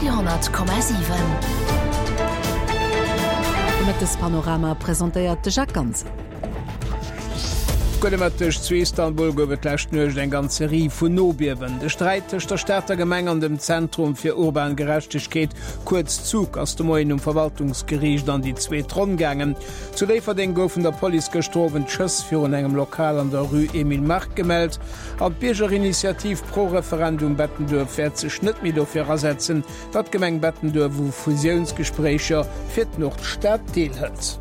Radio 10,7. De Mëttespanorama presentéiert de Jacques Ganser. Gudde Mëtteg, Zu Istanbul gouf et d'lescht Nuecht eng ganz Serie vun Nobiewen. De Sträit tëscht der Stater Gemeng an dem Zentrum fir urban Gerechtegkeet, kuerz ZUG, ass de Moien um Verwaltungsgeriicht an déi zweet Ronn gaangen. Zu Déifferdeng goufen der Police gëschter Owend Schëss virun engem Lokal an der Rue Emile Mark gemellt. An d'Biergerinitiativ Pro Referendum Bettenduerf wäert sech net méi dofir asetzen, datt d'Gemeng Bettenduerf u Fusiounsgespréicher fir d'Nordstad deelhëlt.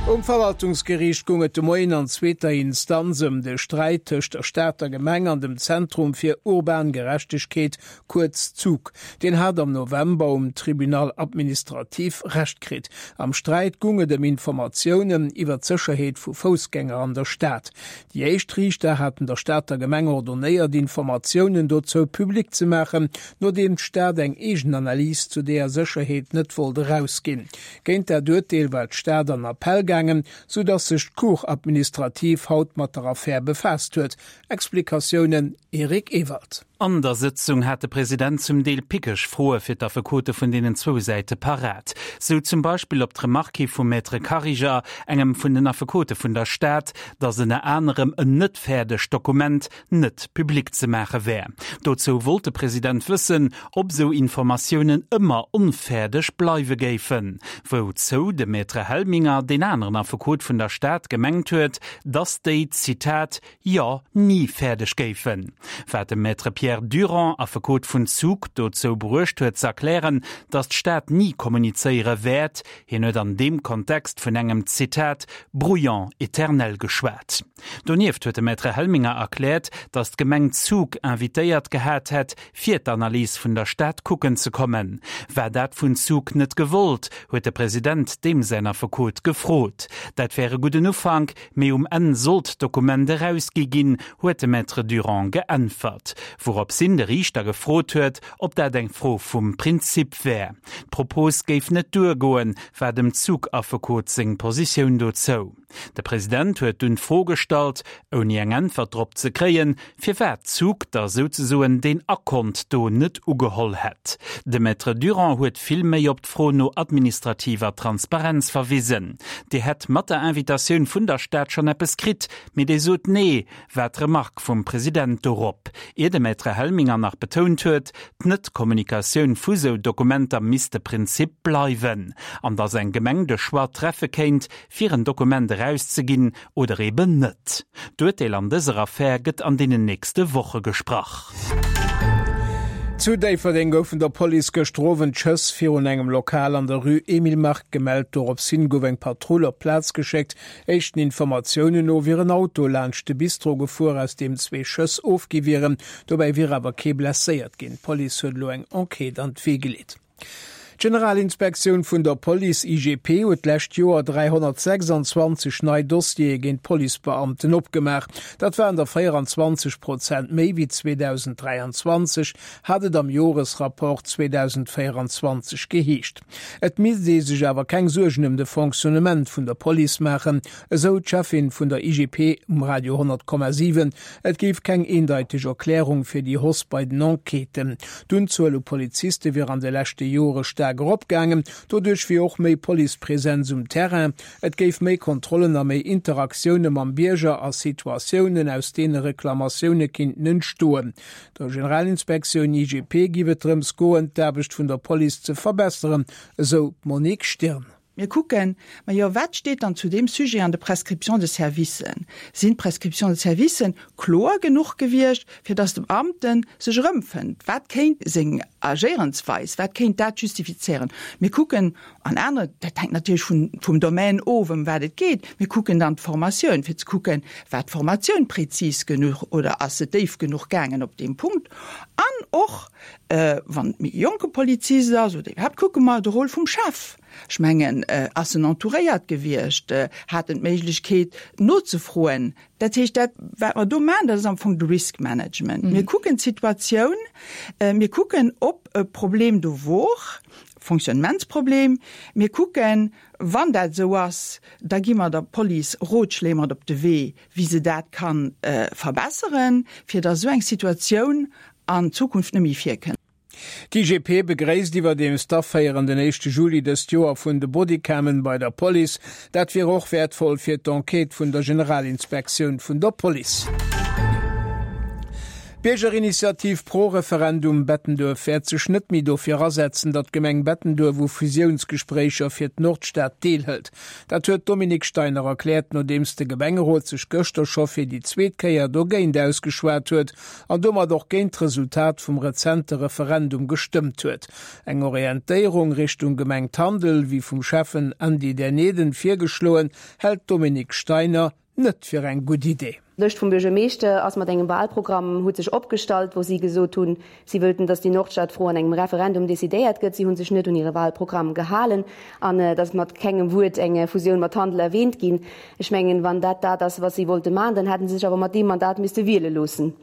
Um Verwaltungsgeriicht goung et de Moien an zweeter Instanz ëm de Sträit tëscht der Stater Gemeng an dem Zentrum fir urban Gerechtegkeet, kuerz ZUG. Deen hat am November um Tribunal administratif Recht kritt. Am Sträit goung et ëm Informatiounen iwwer d'Sécherheet vu Foussgänger an der Stad. Déi éischt Riichter haten der Stater Gemeng ordonnéiert, Informatiounen dozou public ze maachen, nodeem d'Stad eng eegen Analys zu deeër Sécherheet net wollt erausginn. Géint dat Urteel war d'Stad an Appell gaangen, sou datt sech d'Cour administrative haut mat der Affär befaasst huet. Explikatiounen, Eric Ewald. An der Sëtzung hat de President zum Deel pickeg Froe fir d'Affekote vun deenen zwou Säite parat. Sou zum Beispill op d'Remark hi vum Maître Kariger, engem vun den Affekote vun der Stad, datt ënner anerem en net fäerdegt Dokument net public ze maache wär. Dozou wollt de President wëssen, ob sou Informatiounen ëmmer onfäerdeg bleiwe géifen. Wouzou de Maître Helminger, deen aneren Affekot vun der Stad, gemengt huet, datt déi, Zitat, jo ni fäerdeg géifen. Wat de Maître Pierre Durand, Affekot vun Zug, dozou bruecht huet ze erklären, datt d'Stad ni kommunizéiere wäert. Hien huet an deem Kontext vun engem, Zitat, brouillon éternel geschwat. Donieft huet de Maître Helminger erkläert, datt d'Gemeng Zug invitéiert gehat hätt, fir d'Analys vun der Stad kucken ze kommen. War dat vun Zug net gewollt, huet de President deem säin Affekot gefrot. Dat wär e gudden Ufank, Mee um Enn sollt d'Dokument erausgi ginn, huet de Maître Durand geäntwert. Wourops hin de Riichter gefrot huet, ob dat eng Fro vum Prinzip wär. D'Propos géif net duergoen, war dem Zug-Affekot seng Positioun dozou. De President huet dunn d'Fro gestallt, ouni eng Äntwert drop ze kréien, firwat Zug da souzesoen deen Akont do net ugeholl hätt. De Maître Durand huet vill méi op d'Fro no administrativer Transparenz verwisen. Dir hätt mat der Invitatioun vun der Stad schonn eppes kritt, mee déi sot nee, war d'Remark vum President dorop, ier de Maître Helminger nach betount huet, d'Net-Kommunikatioun vu sou Dokumenter misst de Prinzip bleiwen, an datt eng Gemeng de Choix treffe kéint, fir en Dokument erauszeginn oder eben net. D'Urteel an dëser Affär gëtt an deenen nächste Woche gesprach. Zu Déifferdeng goufen der Police gëschter Owend Schëss virun engem Lokal an der Rue Emile Mark gemellt. Dorops hin gouf eng Patrull op d'Plaz geschéckt. Éischten Informatiounen no wier en Auto laanscht de Bistro gefuer, aus deem zwee Schëss ofgi wieren. Dobäi wier awer kee blesséiert ginn. D'Police huet elo eng Enquête an d'Wee geleet. D'Generalinspektioun vun der Police, IGP, huet d'lescht Joer 326 nei Dossiere géint Policebeamten opgemaach. Dat waren der 24 Prozent méi wéi 2023, hat et am Joresrapport 2024 geheescht. Et misst ee sech awer keng Suergen ëm de Fonctionnement vun der Police maachen, esou d'Cheffin vun der IGP um Radio 10,7. Et géif keng eendeiteg Erklärung fir déi Hausse bei den Enquêten. D'Unzuel u Poliziste wier an de leschte Jore staark eropgaangen. Doduerch wier och méi Policepresenz um Terrain. Et géif méi Kontrollen a méi Interaktioune mam Bierger a Situatiounen, aus deene Reklamatioune kinnten entstoen. Der Generalinspektioun IGP géif et drëms goen, d'Aarbecht vun der Police ze verbesseren, esou d'Monique Stirn. Mir kucken, majo, wat steet dann zu deem Sujet an de Prescriptions de services? Sinn d'Prescriptions de services kloer genuch gewiescht, fir dass de Beamte sech erëmfënnt? Wat kéint seng Agéierensweis, wat kéint dat justifizéieren? Mir kucken an anere, dat hänkt natierlech vun, vum Domän of, ëm wat et geet, mir kucken dann d'Formatioun, fir ze kucken, War d'Formatioun prezis genuch oder ass se déif genuch gaangen op deem Punkt? An och, wann et méi e jonke Polizist ass oder iwwerhaapt, kucke mer de Rôle vum Chef. Ech mengen, ass en entouréiert gewiescht? Hat en d'Méiglechkeet nozefroen? Dat heescht, dat wat mer do maachen, dat ass am Fong de Risk Management. Mir kucken d'Situatioun, mir kucken, ob e Problem do wor, Fonctionnementsproblem. Mir kucken, wann dat esou ass, da gi mer der Police Rotschléi mat op de Wee, wéi se dat ka verbesseren, fir datt esou eng Situatioun an Zukunft net méi virkënnt. D'IGP begréisst iwwerdeems d'Aféieren den éischte Juli dëst Joer vun de Bodycammen bei der Police. Dat wier och wäertvoll fir d'Enquête vun der Generalinspektioun vun der Police. D'Biergerinitiativ Pro Referendum Bettenduerf wäert sech net méi dofir asetzen, datt d'Gemeng Bettenduerf u Fusiounsgespréicher fir d'Nordstad deelhëlt. Dat huet d'Dominique Steiner erkläert, nodeems de Gemengerot sech gëschter scho fir déi zweet Kéier dogéint ausgeschwat huet an domat och géint d'Resultat vum rezente Referendum gestëmmt huet. Eng Orientéierung Richtung Gemeng Tandel, wéi vum Schäffen Andy Derneden virgeschloen, hält d'Dominique Steiner net fir eng gutt Idee. D'Lëscht vum Buergermeeschter ass mat engem Wahlprogramm huet sech opgestallt, wou si gesot hunn, si wëllten, datt déi Nordstadfro an engem Referendum decidéiert gëtt. Si hu sech net un hire Wahlprogramm gehalen an et ass mat kengem Wuert eng Fusioun mat Tandel erwähnt ginn. Ech mengen, wann dat dat ass, wat si wollte maachen, dann hätte se sech awer mat deem Mandat misste wiele loossen.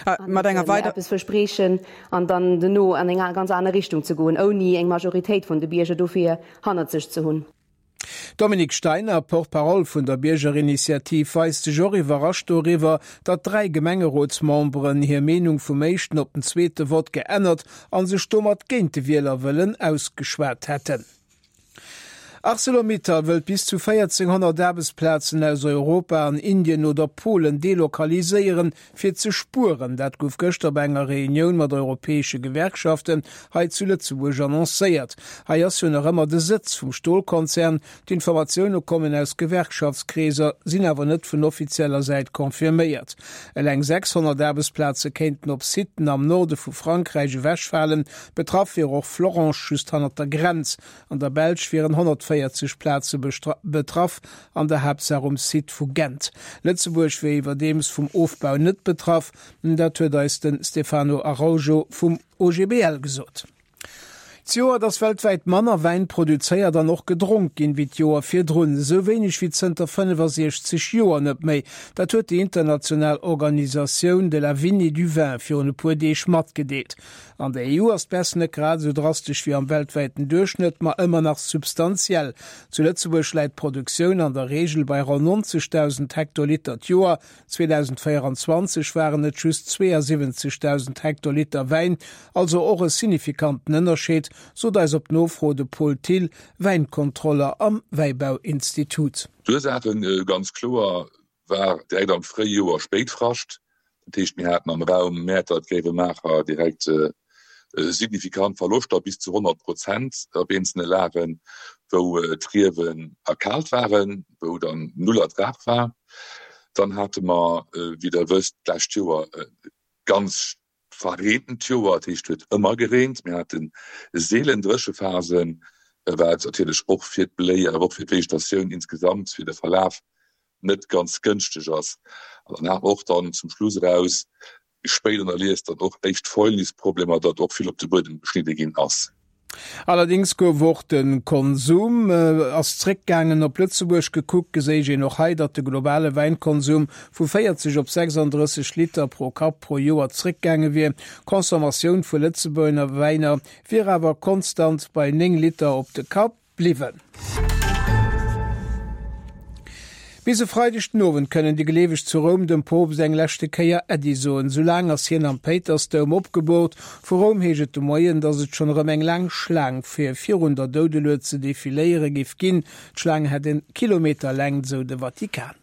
An net méi eppes verspreechen an dann dono an eng ganz aner Richtung ze goen, ouni eng Majoritéit vun de Bierger dofir hannert sech ze hunn. D'Dominique Steiner, Porte-parole vun der Biergerinitiativ, weist sech och iwwerrascht doriwwer, datt 3 Gemengerotsmemberen hir Meenung vum éischten op den zweete Vott geännert a sech domat géint de Wielerwëllen ausgeschwat hätten. Arcelor-Mittal wëllt bis zu 1.400 Aarbechtsplazen aus Europa an Indien oder Polen delokaliséieren, fir ze spueren. Dat gouf gëschter bei enger Reunioun mat europäesche Gewerkschaften hei zu Lëtzebuerg annoncéiert. Hei ass jo nach ëmmer de Sëtz vum Stolkonzern. D'Informatioune kommen aus Gewerkschaftskreeser, sinn awer net vun offizieller Säit confirméiert. Eleng 600 Aarbechtsplaze kéinten op Siten am Norde vu Frankräich ewechfalen. Betraff wier och Florange just hannert der Grenz. An der Belsch wieren 140 Plaze betraff, an der Haaptsaach um Site vu Gent. Lëtzebuerg wier iwwerdeems vum Ofbau net betraff, dat huet eis de Stefano Araujo vum OGBL gesot. Zejoert ass weltwäit manner Wäin produzéiert an och gedronk ginn, wéi d'Joer virdrun. Esou wéineg wéi zënter 65 Joer net méi. Dat huet déi international Organisatioun de la Vigne et du Vin virun e puer Deeg matgedeelt. An der EU ass d'Baisse net grad esou drastesch wéi am weltwäiten Duerchschnëtt, ma ëmmer nach substantiell. Zu Lëtzebuerg läit d'Produktioun an der Reegel bei ronn 90.000 Hektoliter d'Joer. 2024 waren et just 72.000 Hektoliter Wäin, also och e signifikanten Ënnerscheed, sot eis op Nofro de Paul Thill, Wäinkontroller am Wäibauinstitut. D'Ursaache ganz kloer war direkt am Fréijoer Spéitfrascht. Dat heescht, mir haten am Raum Mäertert-Gréiwemaacher direkt signifikant Verloschter, bis zu 100 Prozent op eenzelne Lagen, wou d'Riewen erkaalt waren, wou dann null Ertrag war. Dann hate mer, wéi Der wësst, d'lescht Joer e ganz verreent Joer, dat heescht, et huet ëmmer gereent. Mir hate seelen Dréchephasen, wat natierlech och fir d'Bléi, awer och fir d'Vegetatioun insgesamt, fir de Verlaf net ganz gënschteg ass. An dann hat mer och dann zum Schluss eraus, spéit an der Lies, dann och éischt Fäulnisproblemer, datt och vill op de Buedem geschnidde ginn ass. Allerdéngs gouf och de Konsum ass zréckgaangen. Op Lëtzebuerg gekuckt, geséich een och hei, datt de globale Wäinkonsum vu 40 op 36 Liter pro Kapp pro Joer zréckgaange wier. D'Consommatioun vu Lëtzebuerger Wäiner wier awer konstant bei 9 Liter op de Kapp. Bliwwen. Bis e Freideg den Owend kënnen déi Gleeweg zu Roum dem Poopst eng leschte Kéier Äddi soen. Sou laang ass hien am Péitersdoum opgeboort. Vu Roum heescht et de Moien, datt et schonn erëm eng laang Schlaang fir virun der Doudelued ze defiléiere géif ginn. D'Schlaang hätt en Kilometer Längt, sou de Vatikan.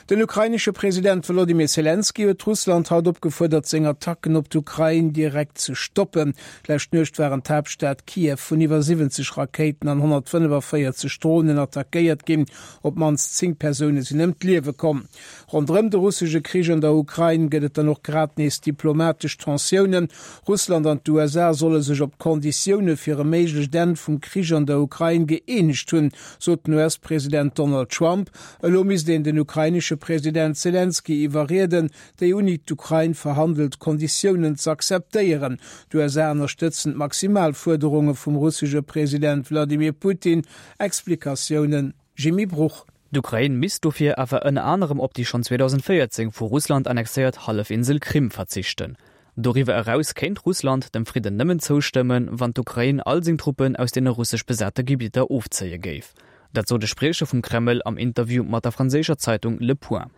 Den ukrainesche President Wolodymyr Selenskyj huet Russland haut opgefuerdert, seng Attacken op d'Ukrain direkt ze stoppen. D'lescht Nuecht waren d'Haaptstad Kiew vun iwwer 70 Rakéiten an 145 Dronen attackéiert ginn. Op d'mannst 10 Persoune sinn ëm d'Liewe komm. Ronderëm de russesche Krich an der Ukrain gëtt et dann och grad nees diplomatesch Tensiounen. Russland an d'USA solle sech op d'Konditioune fir e méiglecht Enn vum Krich an der Ukrain gëeenegt hunn, sot den US-President Donald Trump. Elo misst een den ukrainesche President Selenskyj iwwerrieden, déi uni d'Ukrain verhandelt Konditiounen z'akzeptéieren. D'USA ënnerstëtzen d'Maximalfuerderunge vum russesche President Wladimir Putin. Explikatiounen, Jimmy Bruch. D'Ukrain misst dofir awer ënner anerem op déi schonn 2014 vu Russland annexéiert Hallefinsel Krim verzichten. Doriwwer eraus kéint Russland dem Fridden nëmmen zoustëmmen, wann d'Ukrain all seng Truppen aus deene russesch besate Gebidder ofzéie géif. Dat sot e Spriecher vum Kreml am Interview mat der franséischer Zeitung Le Point.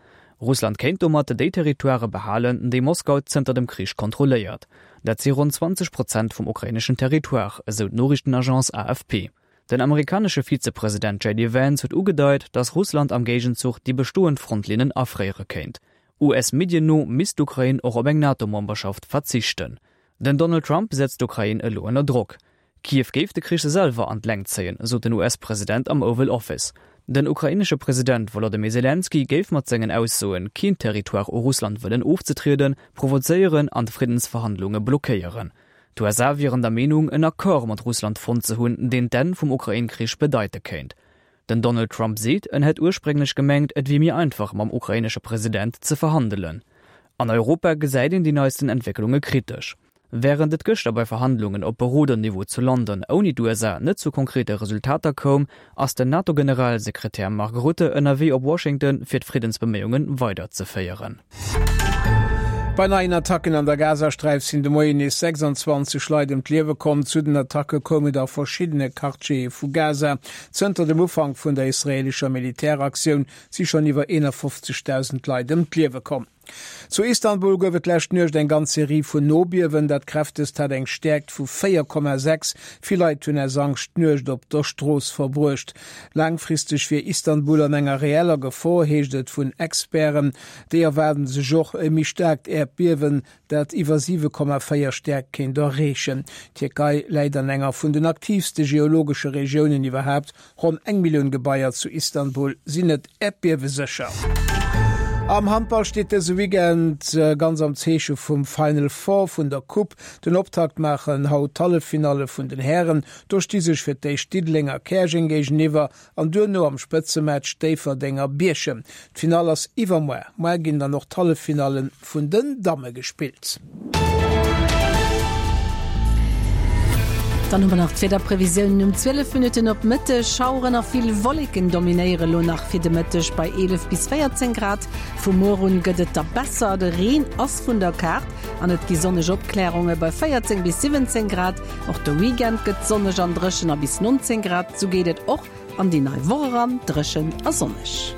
Russland kéint domat déi Territoirë behalen, déi Moskau zënter dem Krich kontrolléiert. Dat si ronn 20 Prozent vum ukraineschen Territoire, esou d'Noriichtenagence AFP. Den amerikanesche Vizepresident JD Vance huet ugedeit, datt Russland am Géigenzuch déi bestoend Frontlinnen afréiere kéint. US-Medien no misst d'Ukrain och op eng NATO-Memberschaft verzichten. Den Donald Trump setzt d'Ukrain elo ënner Drock. Kiew géif de Krich selwer an d'Längt zéien, sot den US-President am Oval Office. Den ukrainesche President Wolodymyr Selenskyj géif mat sengen Aussoen, keen Territoire u Russland wëllen ofzetrieden, provozéieren an d'Friddensverhandlunge blockéieren. D'USA wieren der Meenung, en Accord mat Russland fonnt ze hunn, deen d'Enn vum Ukrain-Krich bedeite kéint. Den Donald Trump seet, en hätt ursprénglech gemengt, et wier méi einfach mam ukrainesche President ze verhandelen. An Europa gesäit een déi neisten Entwécklunge kritesch. Wärend et gëschter bei Verhandlungen op Beroderniveau zu London ouni d'USA net zu konkrete Resultater koum, ass den NATO-Generalsekretär Mark Rutte ënnerwee op Washington, fir d'Friddensbeméiunge weiderzeféieren. Bei neien Attacken an der Gazasträif sinn de Moien nees 26 Leit ëm d'Liewe komm. Zu den Attacke koum et a verschiddene Quartiere vu Gaza. Zënter dem Ufank vun der israeelescher Militäraktioun si schonn iwwer 51.000 Leit ëm d'Liewe komm. Zu Istanbul gouf et d'lescht Nuecht eng ganz Serie vun Nobiewen. Dat kräftegst hat eng Stäerkt vu 4,6. Vill Leit hunn aus Angscht d'Nuecht op der Strooss verbruecht. Laangfristeg wier Istanbul an enger reeller Gefor, heescht et vun Experten. Déi erwaarden sech och e méi staarkt Äerdbiewen, dat iwwer 7,4 Stäerkt kéint erreechen. D'Tierkei läit an enger vun den aktiivste geologesche Regiounen iwwerhaapt. Ronn eng Millioun Gebaier zu Istanbul sinn net äerdbiewesécher. Am Handball steet dëse Weekend ganz am Zeeche vum Final Four vun der Coupe. Den Optakt maachen haut d'Halleffinalle vun den Hären. Do sti sech fir d'éischt Diddeleng a Käerjeng géigeniwwer an duerno am Spëtzematch Déifferdeng a Bierchem. D'Finall ass iwwermuer. Muer ginn dann och d'Halleffinalle vun den Damme gespillt. Dann hu mer nach d'Wiederprevisiounen um 12 Minutten op Mëtteg. Schaueren a vill Wolleken dominéiere lo nach fir de Mëtteg bei 11 bis 14 Grad. Vu muer un gëtt et da besser, de Reen ass vun der Kaart an et gi sonneg Opklärunge bei 14 bis 17 Grad. Och de Weekend gëtt sonneg an dréchen a bis 19 Grad. Sou geet et och an déi nei Woch eran, dréchen a sonneg.